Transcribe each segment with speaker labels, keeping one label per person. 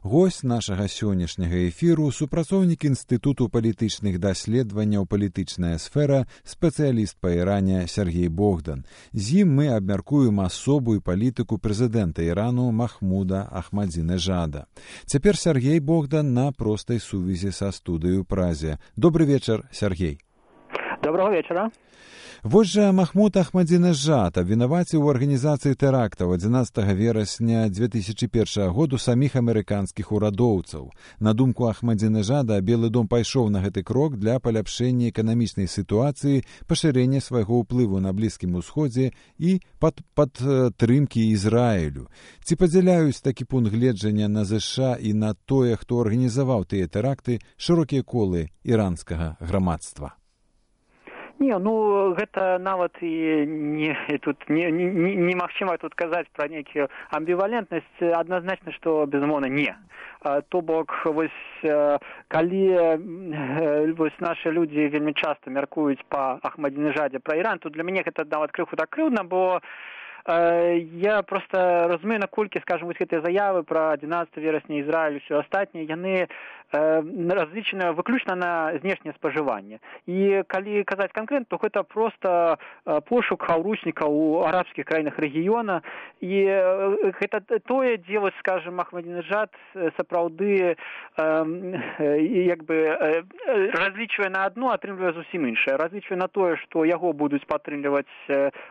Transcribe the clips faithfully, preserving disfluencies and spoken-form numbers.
Speaker 1: Госць нашага сённяшняга эфіру — супрацоўнік Інстытуту палітычных даследаванняў «Палітычная сфера», спецыяліст па Іране Сергей Богдан. З ім мы абмяркуем асобу і палітыку прэзідэнта Ірану Махмуда Ахмадзінежада. Цяпер Сергей Богдан на простай сувязі са студыяй у Празе. Добры вечар, Сергей.
Speaker 2: Доброго вечара.
Speaker 1: Вось жа Махмуд Ахмадзінежад абвінаваціў у арганізацыі тэрактаў адзінаццатага верасня дзве тысячы першага году саміх амерыканскіх урадоўцаў. На думку Ахмадзінежада, Белы дом пайшоў на гэты крок для паляпшэння эканамічнай сітуацыі, пашырэння свайго ўплыву на Блізкім Усходзе і пад падтрымкі Ізраілю. Ці падзяляюць такі пункт гледжання на ЗША і на тое, хто арганізаваў тыя тэракты, шырокія колы іранскага грамадства?
Speaker 2: Не, ну гэта нават і не тут не не немагчыма тут казаць пра нейкую амбівалентнасць, адназначна, што безумоўна не. То бок вось калі вось нашы людзі вельмі часта мяркуюць па Ахмадзінежадзе пра Іран, то для мяне гэта нават крыху так крыўдна, бо я просто разумею, наколькі, скажем, вось гэтыя заявы пра адзінаццатае верасня Ізраіль, усё астатняе, яны разлічаны выключна на знешняе спажыванне. І калі казаць канкрэтна, то гэта проста пошук хаўруснікаў у арабскіх краінах рэгіёна. І гэта тое, дзе, вось, скажем, Ахмадзінежад сапраўды як бы разлічвае на адно, атрымлівае зусім іншае. Разлічвае на тое, што яго будуць падтрымліваць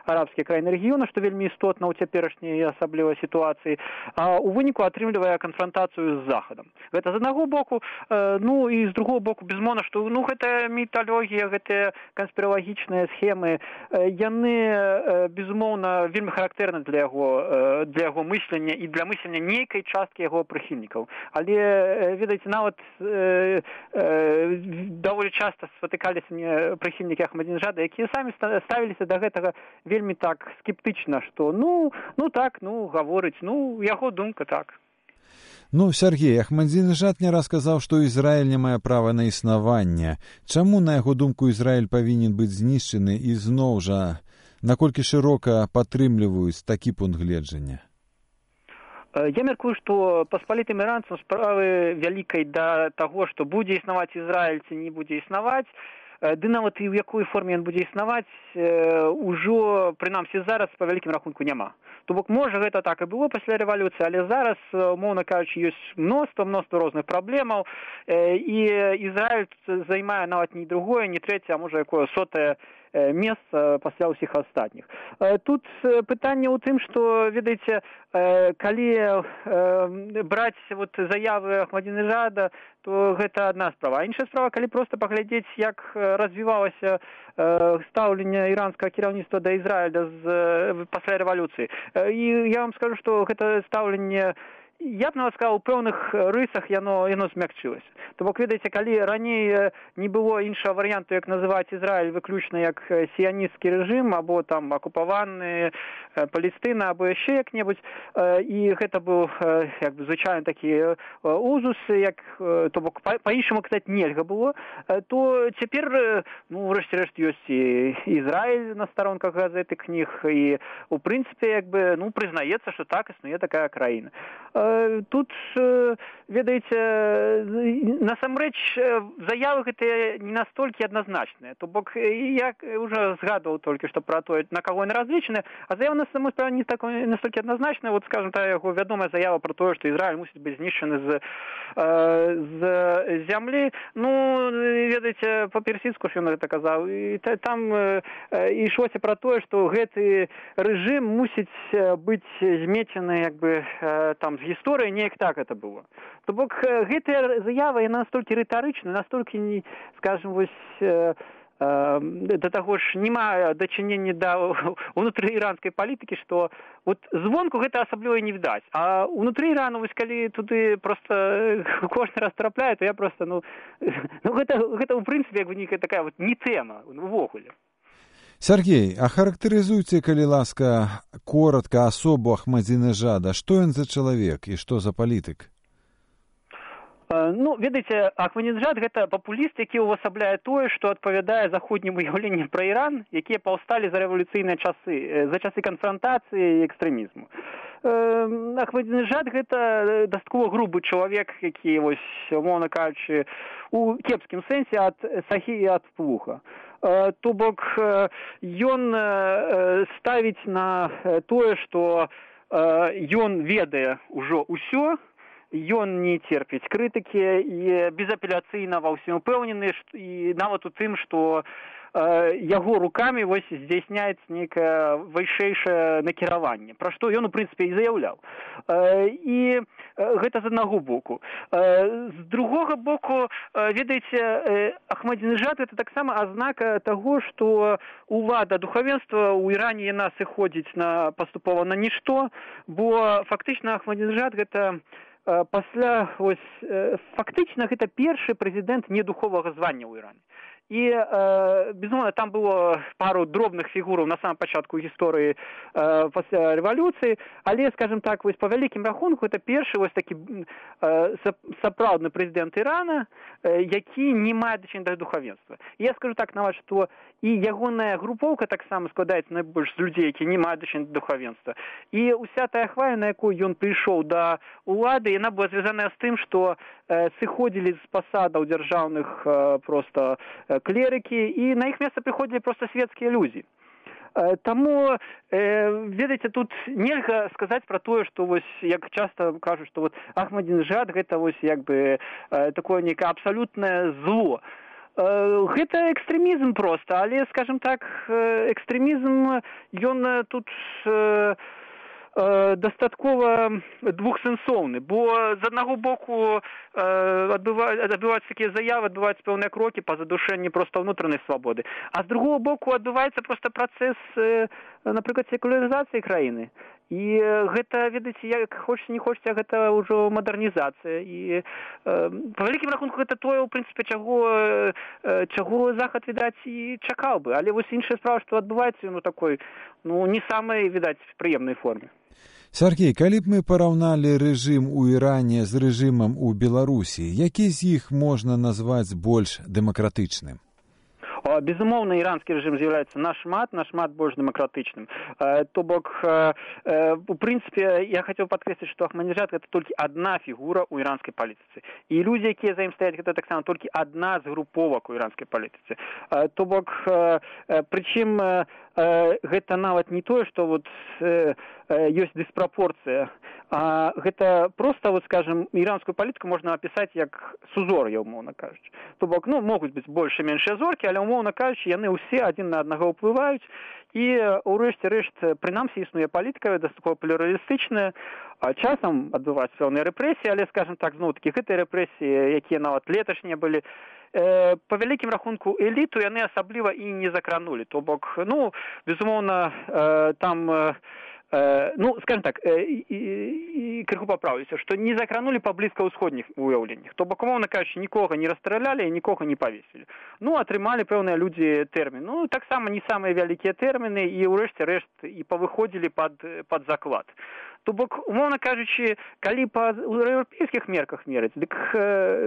Speaker 2: арабскія краіны рэгіёна, што вельмі істотна ў цяперашняй асаблівай сітуацыі, а ў выніку атрымлівае канфрантацыю з Захадам. Гэта з аднаго боку. Ну і з другого боку, безумоўна, што ну гэта міталогія, гэтыя канспіралагічныя схемы, яны безумоўна вельмі характэрны для яго для яго мыслення і для мыслення нейкай часткі яго прыхільнікаў. Але ведаеце, нават э, э, даволі часта спатыкаліся мне прыхільнікі Ахмадзінежада, якія самі ставіліся да гэтага вельмі так скептычна, што ну ну так, ну гаворыць, ну яго думка так.
Speaker 1: Ну, Сергей, Ахмадзінежад не раз казаў, што Ізраіль не мае права на існаванне. Чаму, на яго думку, Ізраіль павінен быць знішчаны і зноў жа, наколькі шырока падтрымліваюць такі пункт гледжання?
Speaker 2: Я мяркую, што паспалітым іранцам справы вялікай да таго, што будзе існаваць Ізраіль ці не будзе існаваць, ды нават і ў якой форме ён будзе існаваць, ужо, прынамсі зараз, па вялікім рахунку няма. То бок, можа, гэта так і было пасля рэвалюцыі, але зараз, умоўна кажучы, ёсць мноства, мноства розных праблемаў, і Ізраіль займае нават не другое, не трэцяе, а можа, якое сотае месца пасля ўсіх астатніх. Тут пытанне ў тым, што, ведаеце, калі браць вот заявы Ахмадзінежада, то гэта адна справа. А іншая справа, калі проста паглядзець, як развівалася стаўленне іранскага кіраўніцтва да Ізраіля з пасля рэвалюцыі. І я вам скажу, што гэта стаўленне, я б нават сказаў, у пэўных рысах яно, яно змякчылася. То бок, ведаеце, калі раней не было іншага варыянту, як называць Ізраіль выключна як сіянісцкі рэжым, або там акупаваны Палестына, або яшчэ як-небудзь, і гэта быў як бы звычайны такі узус, як, то бок, па-іншаму, кстати, нельга было, то цяпер, ну, врэшце-рэшт, ёсць і Ізраіль на старонках газеты, кніг, і, у прынцыпе, як бы, ну, прызнаецца, што так існуе такая краіна. Тут, ведаеце, насамрэч заявы гэтыя не настолькі адназначныя. То бок, я уже згадваў толькі што пра тое, на каго яны разлічаны, а заява на самой справе не такой настолькі адназначная. Вот, скажем так, яго вядомая заява пра тое, што Ізраіль мусіць быць знішчаны з, з зямлі. Ну, ведаеце, па-персідску ж ён гэта казаў. І там ішлося пра тое, што гэты рэжым мусіць быць змецены, як бы, там, з гісторыі, неяк так это было. То бок, гэтая заява, яна настолькі рытарычная, настолькі, скажем, вось, э, э, да таго ж не мае дачынення да унутрыіранскай палітыкі, што вот звонку гэта асабліва не відаць. А унутры Ірану, вось калі туды проста кожны раз трапляе, то я проста, ну, ну гэта, гэта ў прынцыпе, як бы нейкая такая вот не тэма увогуле.
Speaker 1: Сергей, ахарактарызуйце, калі ласка, коротка асобу Ахмадзінежада. Што ён за чалавек і што за палітык?
Speaker 2: Ну, ведаеце, Ахмадинеджад гэта папуліст, які ўвасабляе тое, што адпавядае заходнім уяўленням пра Іран, якія паўсталі за рэвалюцыйныя часы, за часы канфрантацыі і экстрэмізму. Ахмадинеджад гэта дастаткова грубы чалавек, які, вось, умоўна кажучы, у кепскім сэнсе ад сахі і ад плуга. То бок ён ставіць на тое, што ён ведае ўжо ўсё, ён не церпіць крытыкі і безапеляцыйна ва ўсім упэўнены і нават у тым, што яго рукамі вось здзяйсняецца нейкае вышэйшае накіраванне, пра што ён у прынцыпе і заяўляў. І гэта з аднаго боку. З другога боку, ведаеце, Ахмадинеджад гэта таксама азнака таго, што улада духавенства ў Іране яна сыходзіць на паступова на нішто, бо фактычна Ахмадинеджад гэта пасля вось фактычна гэта першы прэзідэнт недуховага звання ў Іране. І, э, безумоўна, там было пару дробных фігураў на самом пачатку гісторыі э, пасля рэвалюцыі, але, скажем так, вось па вялікім рахунку, это першы вось такі э, сапраўдны прэзідэнт Ірана, э, які не мае дачынення да духавенства. І я скажу так нават, што і ягоная групоўка таксама складаецца найбольш з людзей, які не маюць дачынення да духавенства. І ўся тая хваля, на якую ён прыйшоў да ўлады, яна была звязаная з тым, што э, сыходзілі з пасадаў дзяржаўных э, проста клерыкі, і на іх месца прыходзілі проста свецкія людзі. Таму, ведаеце, тут нельга сказаць пра тое, што вось, як часта кажуць, што вот Ахмадинеджад гэта вось як бы такое нейкае абсалютнае зло. Гэта экстрэмізм проста, але, скажем так, экстрэмізм, ён тут дастаткова двухсэнсоўны, бо з аднаго боку адбываюцца такія заявы, адбываюцца пэўныя крокі па задушэнні проста ўнутранай свабоды, а з другого боку адбываецца проста працэс, напрыклад, секулярызацыі краіны. І гэта, ведаеце, як хочаце, не хочаце, гэта ўжо мадэрнізацыя. І э, па вялікім рахунку гэта тое, у прынцыпе, чаго, э, чаго Захад, відаць, і чакаў бы. Але вось іншая справа, што адбываецца, ну, такой, ну, не самай, відаць, прыемнай форме.
Speaker 1: Сяргей, калі б мы параўналі рэжым у Іране з рэжымам у Беларусі, які з іх можна назваць больш дэмакратычным?
Speaker 2: Безумоўна, іранскі рэжым з'яўляецца нашмат, нашмат больш дэмакратычным. То бок, у прынцыпе, я хацеў падкрэсліць, што Ахмадинеджад гэта толькі адна фігура ў іранскай палітыцы. І людзі, якія за ім стаяць, гэта таксама толькі адна з груповак у іранскай палітыцы. То бок, прычым, гэта нават не тое, што вот ёсць дыспрапорцыя, а гэта проста, вот, скажем, іранскую палітыку можна апісаць як сузор'е, умоўна кажучы. То бок, ну, могуць быць больш і меншыя зоркі, але, умоўна кажучы, яны ўсе адзін на аднаго ўплываюць, і ўрэшце рэшт, прынамсі, існуе палітыка, дастаткова плюралістычная, часам адбываюцца пэўныя рэпрэсіі, але, скажем так, зноў-такі, гэтыя рэпрэсіі, якія нават леташнія былі, па вялікім рахунку эліту яны асабліва і не закранулі. То бок, ну, безумоўна, там, ну, скажем так, і крыху паправлюся, што не закранулі па блізкаўсходніх уяўленнях. То бок, умоўна кажучы, нікога не расстралялі і нікога не павесілі. Ну, атрымалі пэўныя людзі тэрмін. Ну, таксама не самыя вялікія тэрміны і ўрэшце рэшт і павыходзілі пад, пад заклад. То бок, умоўна кажучы, калі па еўрапейскіх мерках мераць, дык,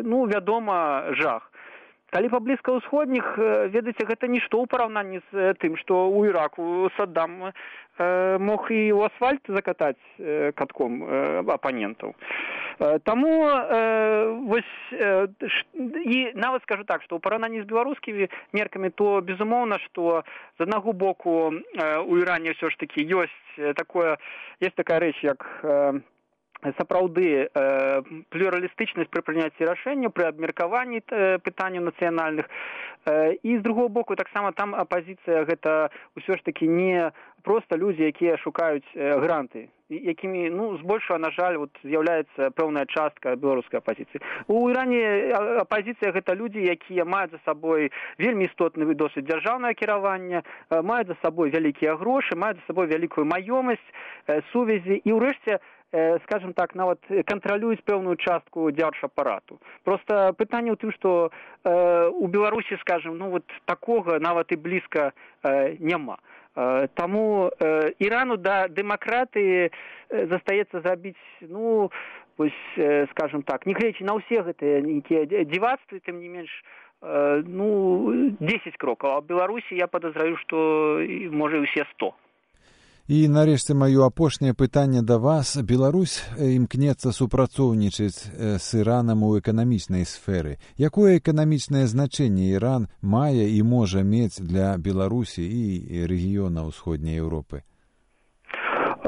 Speaker 2: ну, вядома, жах. Калі па блізкаўсходніх, ведаеце, гэта нішто ў параўнанні з тым, што ў Іраку Саддам мог і ў асфальт закатаць катком апанентаў. Таму вось, і нават скажу так, што ў параўнанні з беларускімі меркамі, то безумоўна, што з аднаго боку у Іране ўсё ж такі ёсць такое, ёсць такая рэч, як сапраўды э, плюралістычнасць пры прыняцці рашэнняў, пры абмеркаванні э, пытанняў нацыянальных. Э, і з другого боку, таксама там апазіцыя гэта ўсё ж такі не проста людзі, якія шукаюць э, гранты, якімі, ну, збольшага, на жаль, вот, з'яўляецца пэўная частка беларускай апазіцыі. У Іране апазіцыя гэта людзі, якія маюць за сабой вельмі істотны досвед дзяржаўнага кіравання, э, маюць за сабой вялікія грошы, маюць за сабой вялікую маёмасць, э, сувязі і ўрэшце, скажем так, нават кантралююць пэўную частку дзяржапарату. Просто пытанне ў тым, што э, у Беларусі, скажем, ну вот такога нават і блізка э, няма. Э, таму э, Ірану да дэмакратыі э, застаецца зрабіць, ну, вось, скажем так, нягледзячы на ўсе гэтыя нейкія дзівацтвы, тым не менш, ну, дзесяць крокаў, а ў Беларусі я падазраю, што можа ўсе сто.
Speaker 1: І нарэшце маё апошняе пытанне да вас. Беларусь імкнецца супрацоўнічаць з Іранам у эканамічнай сферы. Якое эканамічнае значэнне Іран мае і можа мець для Беларусі і рэгіёна ўсходняй Еўропы?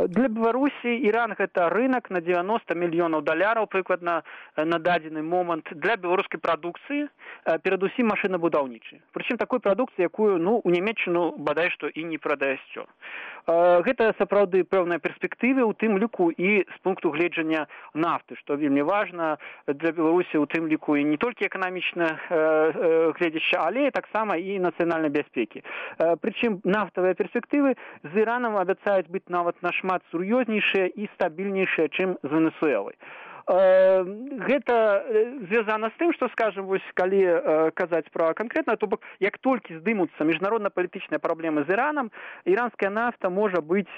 Speaker 2: Для Беларусі Іран гэта рынок на дзевяноста мільёнаў даляраў прыкладна на дадзены момант для беларускай прадукцыі, перадусім машынабудаўнічай. Прычым такой прадукцыі, якую ну, у Нямецчыну бадай што і не прадасцё. Гэта сапраўды пэўныя перспектывы, у тым ліку і з пункту гледжання нафты, што вельмі важна для Беларусі, у тым ліку і не толькі эканамічна гледзяча, але таксама і нацыянальнай бяспекі. Прычым нафтавыя перспектывы з Іранам абяцаюць быць нават нашмат сур'ёзнейшыя і стабільнейшыя, чым з Венесуэлай. Гэта звязана з тым, што, скажем, вось, калі казаць пра канкрэтна, то бок, як толькі здымуцца міжнародна-палітычныя праблемы з Іранам, іранская нафта можа быць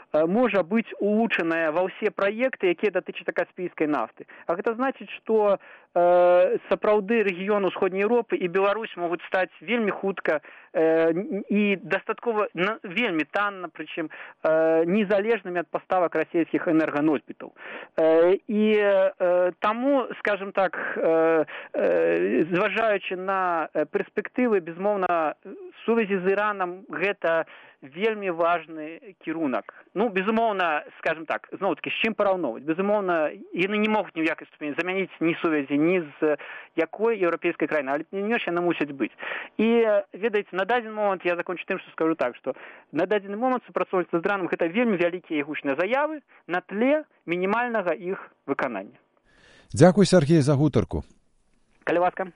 Speaker 2: можа быць улучаная ва ўсе праекты, якія датычацца каспійскай нафты. А гэта значыць, што э, сапраўды рэгіён усходняй Еўропы і Беларусь могуць стаць вельмі хутка э, і дастаткова на, вельмі танна, прычым э, незалежнымі ад паставак расійскіх энерганосьбітаў. Э, і э, таму, скажем так, э, э, зважаючы на перспектывы, безумоўна, сувязі з Іранам гэта вельмі важны кірунак. Ну, безумоўна, скажем так, зноў-такі, з чым параўноўваць? Безумоўна, яны не могуць ні ў якай ступені замяніць ні сувязі, ні з якой еўрапейскай краіны, але не менш яны мусяць быць. І, ведаеце, на дадзены момант я закончу тым, што скажу так, што на дадзены момант супрацоўніцтва з Іранам гэта вельмі вялікія і гучныя заявы на тле мінімальнага іх выканання.
Speaker 1: Дзякуй, Сергей, за гутарку.
Speaker 2: Калі ласка.